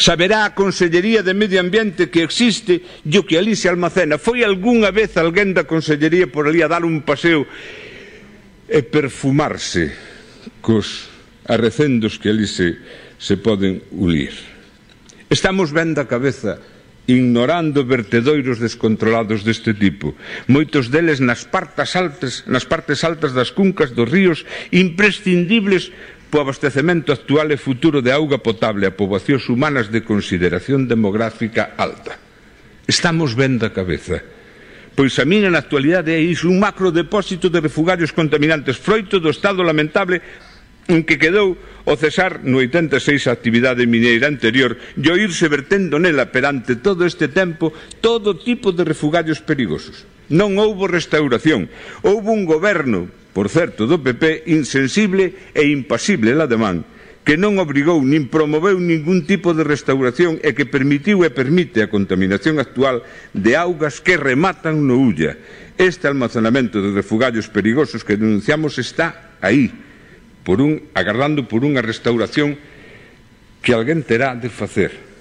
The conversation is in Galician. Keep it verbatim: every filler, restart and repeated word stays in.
Saberá a Consellería de Medio Ambiente que existe e o que ali se almacena. Foi algunha vez alguén da Consellería por ali a dar un paseo e perfumarse cos arrecendos que ali se, se poden ulir. Estamos ben da cabeza ignorando vertedoiros descontrolados deste tipo, moitos deles nas partes altas, nas partes altas das cuncas dos ríos, imprescindibles o abastecemento actual e futuro de auga potable a poboacións humanas de consideración demográfica alta. Estamos ben da cabeza, pois a mina na actualidade é iso, un macrodepósito de refugarios contaminantes, froito do estado lamentable en que quedou o cesar no oitenta e seis a actividade mineira anterior e o irse vertendo nela perante todo este tempo todo tipo de refugarios perigosos. Non houbo restauración, houbo un goberno, por certo, do P P, insensible e impasible la demán, que non obrigou nin promoveu ningún tipo de restauración e que permitiu e permite a contaminación actual de augas que rematan no Ulla. Este almacenamento de refugarios perigosos que denunciamos está aí, por un, agardando por unha restauración que alguén terá de facer.